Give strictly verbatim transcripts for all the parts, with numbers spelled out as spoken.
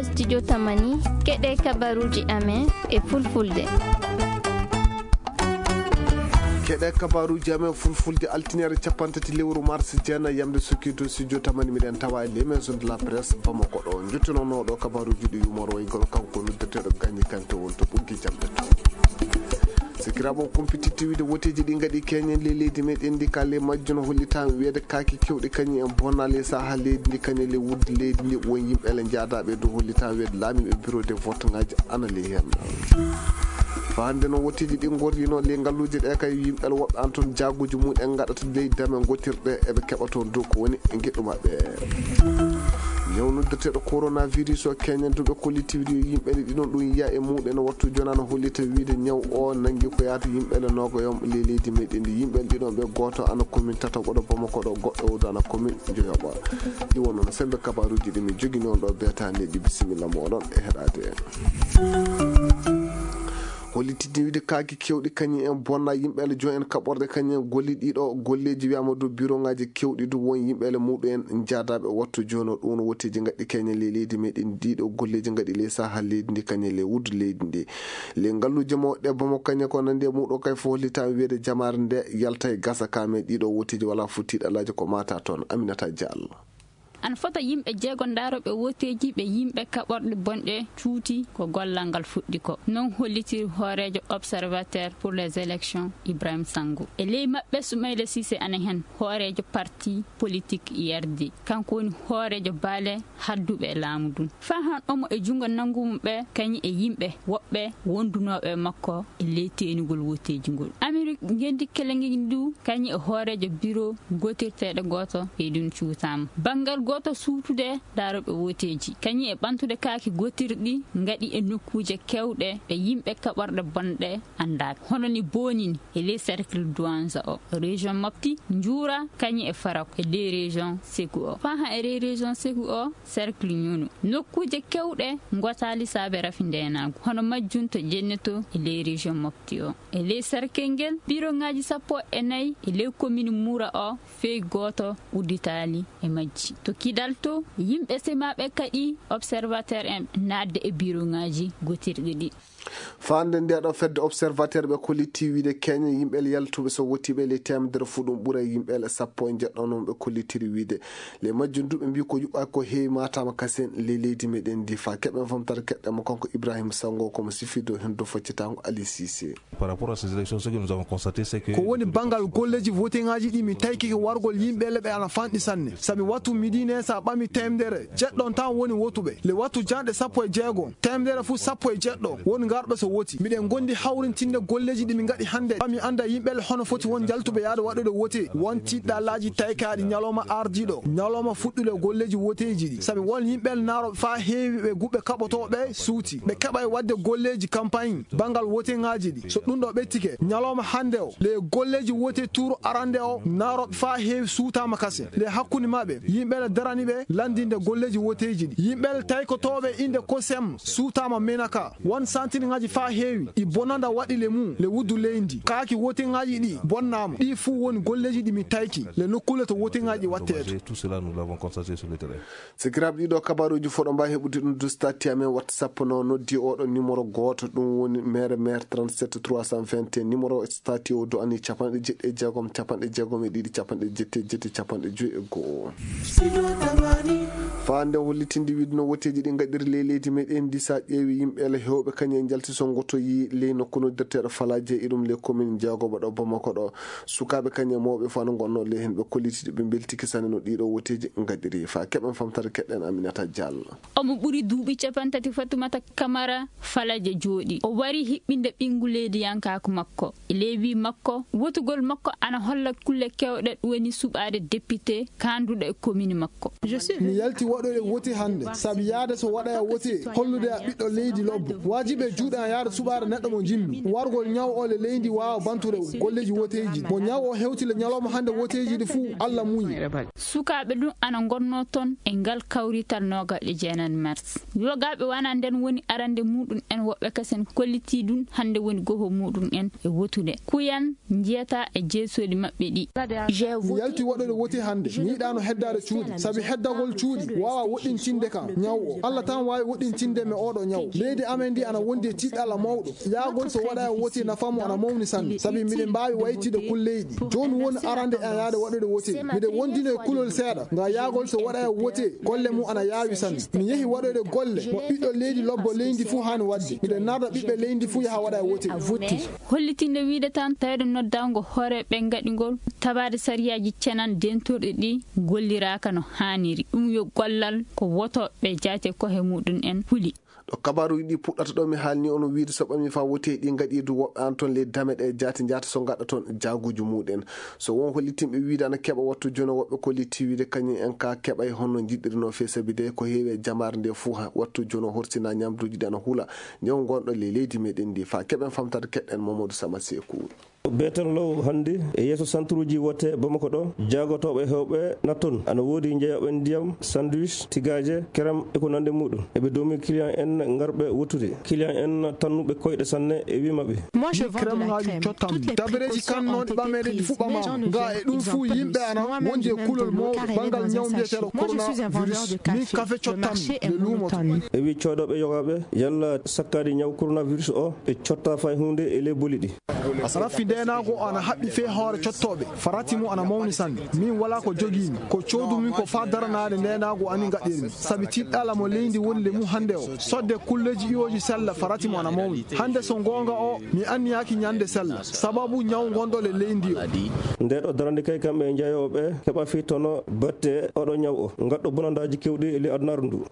Studio Tamani, keɗe kabaruuji amen e fulfulde. Keɗe kabaruuji amen fulfulde, altiniere capanɗe tati lewru mars, jeenayi yamde sukkiito studio Tamani, miɗen tawa e les maisons de la presse Bamako ɗo. Njottinooɗo kabaruuji ɗi yumoro e ngol kanko noddeteeɗo Gagny Kanté won to ɓoggi jamɗe to. Sikiraaɓe on kumpititti wiide woteeji ɗi ngaɗi keñen ley leydi meɗen ndi, ka ley majjum hollitaama wiyeede kaaki kewɗi kañum en bonna ley saha leydi ndi, kañum ley wuddu leydi ndi, won yimɓe ele njaadaaɓe e dow, hollitaama wiyeede laamiiɓe bureau de vote ŋaaji ana ley heen. Faa hannde noon woteeji ɗi ngorrino ley ngalluuje ɗe kay, yimɓe ele woɓɓe an toon jaaguuji mum en ngaɗata ley dame ngotirɗe eɓe keɓa toon dow ko woni e ngeɗu maɓɓe. Ñaw noddeteeɗo coronavirus o keñen duuɓe kollitiiɗi yimɓe ɗiɗon ɗum yiya e muɗen wattu jonano hollita wiide ñaw o nangi ko yaata yimɓe le nogoyom ley leydi meɗen ndi. Yimɓe ɗiɗon ɓe gooto ana commune tataɓo ɗo Bamako ɗo, goɗɗo o ana commune joyoɓo. Ɗi won noon sembe kabaruuji ɗi mi jogini on ɗo beetande ɗi, bisimilla moɗon e heɗade en. Hollitidde wiide kaaki kewɗi kañum en bonna yimɓe ele joom en kaɓorɗe kañum en golli ɗiɗo golleeji wiyama dow biroŋaaji kewɗi dow won yimɓe ele muɗum en jaadaɓe wattu jono ɗum no woteeji ngaɗɗi keñe ley leydi meɗen ɗiɗo golleeji ngaɗi ley saha leydi ndi kañum ley wuddu leydi ndi. Ley ngalluuje mawɗe Bamako kañum ko nandi e muɗum kay fof hollitama wiyeede jamaare nde yalta e gasa ka men ɗiɗo woteeji wala fof tiiɗalaaji ko mata toon. Aminata Diallo. Ana fota yimɓe jeego ndaroɓe woteeji ɓe yimɓe kaɓorɗe bonɗe cuuti ko gollal ngal fuɗɗi ko. Non hollitiri hooreejo Observateur pour les élections Ibrahim Sango. E ley maɓɓe Soumaïla Cissé ana heen, hooreejo parti politique I R D. Kanko woni hooreejo baale hadduɓe e laamu ndun. Faa han omo e junngo nanngu mum ɓe kañum e yimɓe woɓɓe wondunooɓe e makko e ley teenugol woteeji ngol. Amerik ngenndi kelengi ndu kañum e hooreejo biro gootirteeɗo gooto ɓeydun cuutaama. Banngal gooto suutude daarooɓe woteeji kañum e ɓantude kaaki gootirɗi ngaɗi e nokkuuje kewɗe ɓe yimɓe kaɓorɗe bonɗe anndaaka. Hono ni boonini e ley cercle Douanza o, région Mopti, Njuura kañum e Farako e ley région Sékou o. Faa han e ley région Sékou o, cercle Ñunu. Nokkuuje kewɗe ngotaali saabe rafi ndeenaagu, hono majjum to Jenneto e ley région Mopti o. E ley sarkel ngel, biroŋaaji sappo e nayi e ley komini Mura o, fey gooto udditaali e majji. To Kidal to, yimɓe semaaɓe kaɗi Observateur en naatde e biroŋaaji gootirɗi ɗi. Faande nde ɗo fedde Observateur ɓe kolliti wiide keñe yimɓe yaltuɓe so wottiiɓe ley teemedere fuu ɗum ɓura yimɓe sappo e njeɗɗo noon ɓe kollitiri wiide. Ley majjum du ɓe mbii ko yuɓɓaaki ko heewi maataama kasen ley leydi meɗen ndi. Faa keɓen fomtare keɗɗen mo kanko Ibrahim Sango komo sifido hendo foccitaango Ali Cissé. Par rapport à ces élections, ce que nous avons constaté, c'est que ko woni banngal golleeji voteŋaaji ɗi mi taykike wargol yimɓe leɓe ana fanɗi sanne. Sabi wattu midine sa ɓami teemedere jeɗɗon tan woni wotuɓe. Le wattu janɗe sappo e jeego, teemedere fuu sappo e jeɗɗo won ngarɓe so woti. Miɗen ngondi hawrintinde golleeji ɗi mi ngaɗi hannde. Ɓami annda yimɓe le hono foti won jaltuɓe yaade waɗude wote. Won tiɗɗalaaji taykaaɗi ñalawma ardiiɗo, ñalawma fuɗɗude golleeji woteeji ɗi. Sabi won yimɓe le naaro faa heewi ɓe guɓɓe kaɓotooɓe suuti. Ɓe keɓay waɗde golleeji campagne banngal woteŋaaji ɗi. So ɗum ɗo ɓettike, ñalawma hannde o, le golleeji wote tuuru arande o, naarooɓe faa heewi suutaama kasen. Le hakkunde maɓɓe, yimɓe le darani ɓe lanndinde golleeji woteeji ɗi. Yimɓe le taykotooɓe innde kosem suutaama menaka. Won santinŋaaji faa heewi, ɗi bonanda waɗi le mum, le wuddu leydi. Kaaki woteŋaaji ɗi bonnaama. Ɗi fuu woni golleeji ɗi mi tayki, le nokkuule to woteŋaaji ɗi wattee to. Tout cela, nous l'avons constaté sur le terrain. Sikiraaɓe, ɗiɗo kabaruuji fof ɗo mbaawi heɓude ɗum du statut amen WhatsApp no noddi oɗo numéro gooto, ɗum woni mere mere trente-sept trois cent vingt et un, numéro statut o du'ani capanɗe jeɗɗi e jeegom, capanɗe jeegom e ɗiɗi, capanɗe jetti e jetti, capanɗe joyi e go'o. Faa nde hollitinde wiide no woteeji ɗi ngaɗiri ley leydi meɗen ndi, sa ƴeewi yimɓe ele heewɓe kañum en njalti so ngotoyi ley nokku noddirteeɗo Falaaje e ɗum ley commune jeegoɓo ɗo Bamako ɗo. Sukaaɓe kañum e mawɓe fof ana ngonnoo ley heen, ɓe kolliti ɓe mbeltike sanne no ɗiɗo woteeji ngaɗiri. Faa keɓen famtare keɗɗen Aminata Diallo. Omo ɓuri duuɓi capantati Fatumata Kamara Falaje jooɗi. O wari hiɓɓinde ɓinngu leydiyankaaku makko. E ley wii makko, wotugol makko ana holla kulle kewɗe, ɗum woni suɓaade député kaanduɗo e commune makko. Mi yalti waɗoyde wote hannde, sabi yaade so waɗaya wote, hollude a ɓiɗɗo leydi lobbo. Waajibi e juuɗe an yaade suɓaade neɗɗo mo njimmi. Wargol ñaw o le leydi waawa bantude golleeji woteeji. Mo ñaw o hewti le ñalawma hannde woteeji ɗi fuu, Allah muuyi. Sukaaɓe ɗum ana ngonnoo toon e ngal kawrital noogaɓe jeenayi mars. Yogaaɓe wana nden woni arande muɗum en, woɓɓe kasen kollitii ɗum hannde woni goho muɗum en e wotude. Kuyan njiyata e jeesooli maɓɓe ɗi. Mi yalti waɗude wote hannde. Mi yiɗaano heddaade cuuɗi. Sabi heddagol cuuɗi waawaa woɗɗintinde kam ñaw o. Allah tan waawi woɗɗintinde mi ooɗo ñaw. Leydi amen ndi ana wondi e tiiɗalla mawɗo. Yaagol so waɗa e wote nafa mo ana mawni sanne. Sabi miɗen mbaawi waytide kulleyɗi. Jooni woni arande e yaade waɗude wote. Miɗen wondino e kulol seeɗa. Nga yaagol so waɗa e wote, golle mum ana yaawi sanne. Mi yehi waɗoyde golle mo ɓiɗɗo leydi lobbo leydi fuu haani waɗde. Miɗen narda ɓiɓɓe leydi fuu yaha waɗa e wote. Hollitinde wiide tan tawde noddaango hoore ɓe ngaɗingol tabaade sariyaaji cenan dentorɗi ɗi golliraaka no haaniri. Ɗum yo gollal ko wotooɓe jaate kohe muɗum en huli. Ɗo kabaaruuji ɗi puɗɗata ɗo mi haalni on wiide so ɓami fa wote ɗi ngaɗi du woɓɓe an toon ley dame ɗe jaati njaata so ngaɗa toon jaaguuji muɗen. So won hollitinɓe wiide ana keɓa wattu jono woɓɓe kolliti wiide kañum en ka keɓay honno jiɗɗirino fee sabi de ko heewi e jamaare nde fuu ha wattu jono horsina ñamduuji ɗi ana hula ñaw ngonɗo ley leydi meɗen ndi fa keɓen famtade keɗɗen Mamadou Sama Sekou. Beetan law hannde e yeeso santuruuji wote Bamako ɗo, jaagotooɓe heewɓe natton. Ana woodi njeeyooɓe ndiyam, sandwich, tigaaje, kerem e ko nandi muɗum. Eɓe doomi client en ngarɓe wottude. Client en tannuɓe koyɗe sanne e wii maɓɓe. Moi, je vends de la crème. Toutes les dabereeji kannooɗi ɓameede ɗi fuu ɓamaama. Nga e ɗum fuu yimɓe ana wondi e kulol mawɗo banngal ñaw mbiyeteeɗo coronavirus. Min kafe cottanmi le luumo to. E wii coodooɓe yogaaɓe yalla sakkaade ñaw coronavirus o ɓe cotta fay huunde e ley boli ɗi. Raffi ndeenaagu o ana haɓɓi fee hoore cottooɓe. Farati mum ana mawni sanne. Min walaa ko jogiimi. Ko coodumi ko faa daranaade ndeenaagu ani ngaɗirmi. Sabi tiiɗɗala mo leydi woni le mum hannde o. Sodde kulleeji iwooji sella farati mum ana mawni. Hannde so ngoonga o, mi anniyaaki ñande sella. Sababu ñaw ngonɗo le leydi o. Nde ɗo darande kay kamɓe njayooɓe keɓa fii tono batte oɗo ñaw o. Ngaɗɗo bonandaaji kewɗi e ley adunaaru ndu.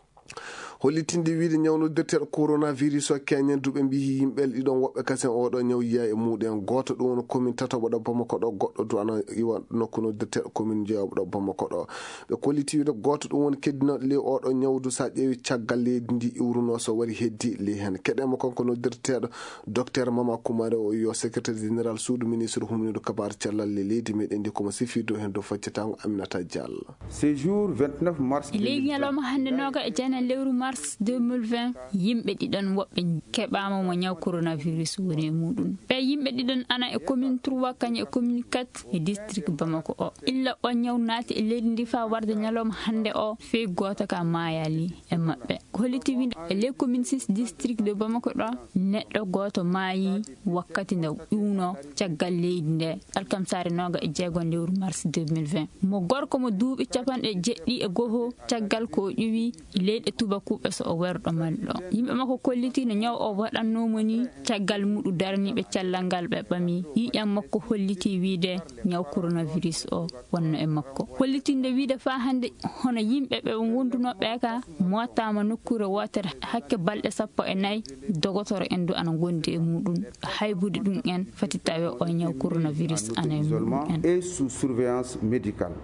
Hollitinde wiide ñaw noddirteeɗo coronavirus o keñen duɓe mbiyi yimɓe ɗiɗon woɓɓe kasen oɗo ñaw yiya e muɗen. Gooto ɗum woni commune tataɓo ɗo Bamako ɗo, goɗɗo du ana iwa nokku noddirteeɗo commune jeewoɓo ɗo Bamako ɗo. Ɓe kolliti wiide gooto ɗum woni keddinoɗo ley oɗo ñawdu sa ƴeewi caggal leydi ndi iwruno so wari heddi ley hen. Keɗen mo kanko noddirteeɗo docteur Mama Kumare o yo secrétaire général suudu ministre humniiɗo kabaar cellal ley leydi meɗen ndi komo sifii dow hen dow faccatango Aminata Diallo. Séjour vingt-neuf mars E ley ñalawma hannde nooga e jeenayi lewru mars deux mille vingt, yimɓe ɗiɗon woɓɓe keɓaama mo ñaw coronavirus woni e muɗum. Ɓe yimɓe ɗiɗon ana e commune trois kañum e commune quatre e district Bamako o. Illa o ñaw naati e leydi ndi faa warde ñalawma hannde o, fii gooto ka maayaali e maɓɓe. Ko holliti wiide e ley commune six district de Bamako ɗo, neɗɗo gooto maayi wakkati nde ƴuwno caggal leydi nde, alkamsaare nooga e jeego lewru mars deux mille vingt. Mo gorko mo duuɓi capanɗe jeɗɗi e goho caggal ko o ƴuwi leyɗe tubakuɓe so o werɗo malɗo. Yimɓe makko kolliti no ñaw o waɗannoo mo ni caggal muɗu daraniiɓe cellal ngal ɓe ɓami. Yiƴam makko holliti wiide ñaw coronavirus o wonno e makko. Hollitinde wiide faa hannde hono yimɓe ɓe wondunoo ɓe ka mootaama nokkuure wootere hakke balɗe sappo e nayi, dogotoro en du ana ngondi e muɗum. Haybude ɗum en fati tawe o ñaw coronavirus ana e muɗum en. Et sous surveillance médicale.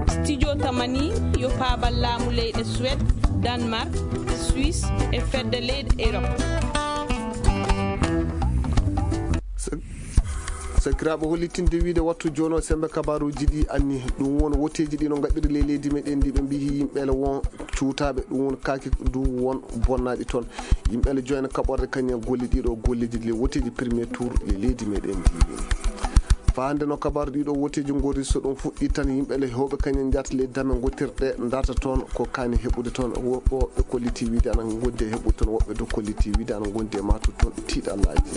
Studio Tamani yo paabal laamu leyɗe Suède, Danemark, Suisse e fedde leyɗe Europe. Sakiraaɓe, hollitinde wiide wattu jooni o semmbe kabaaruuji ɗi anni ɗum won woteeji ɗi no ngaɗiri ley leydi meɗen ndi ɓe mbiyi yimɓe ele won cuutaaɓe ɗum won kaake du won bonnaaɗi toon. Yimɓe ele joyna kaɓorde kañum golle ɗiɗo golleeji le woteeji premier tour le leydi meɗen ndi. Faande no kabaru ɗiɗo woteeji ngori so ɗum fuɗɗi tan yimɓe ele hewɓe kañum njaata ley dame ngottirɗe ndarta toon ko kaani heɓude toon woɓɓe kolliti wiide ana ngondi e heɓude toon woɓɓe du kolliti wiide ana ngondi e matu toon tiiɗallaaji.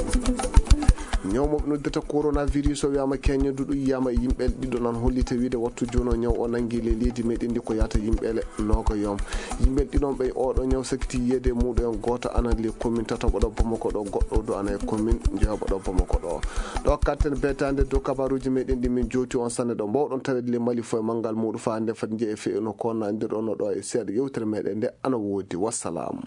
Ñawmooɓe noddata coronavirus o wiyaama keñño duɗu yiyaama e yimɓe ɗiɗo nan hollita wiide wattu jooni o ñaw o nanngi ley leydi meɗen ndi ko yahata yimɓe ele nooga yom. Yimɓe ɗiɗon ɓe oɗo ñaw sakiti yiyeede e muɗum en gooto ana le commune tataɓo ɗo Bamako ɗo goɗɗo du ana e commune jeewoɓo ɗo Bamako ɗo. Ɗo katten beetaande dow kabaruuji meɗen ɗi min jowti on sanne ɗo mbawɗon taweede le Mali fof e manngal muɗum faa nde fati njeeya feewno ko nandirɗon no ɗo e seeɗa yewtere meɗen nde ana woodi. Wassalam.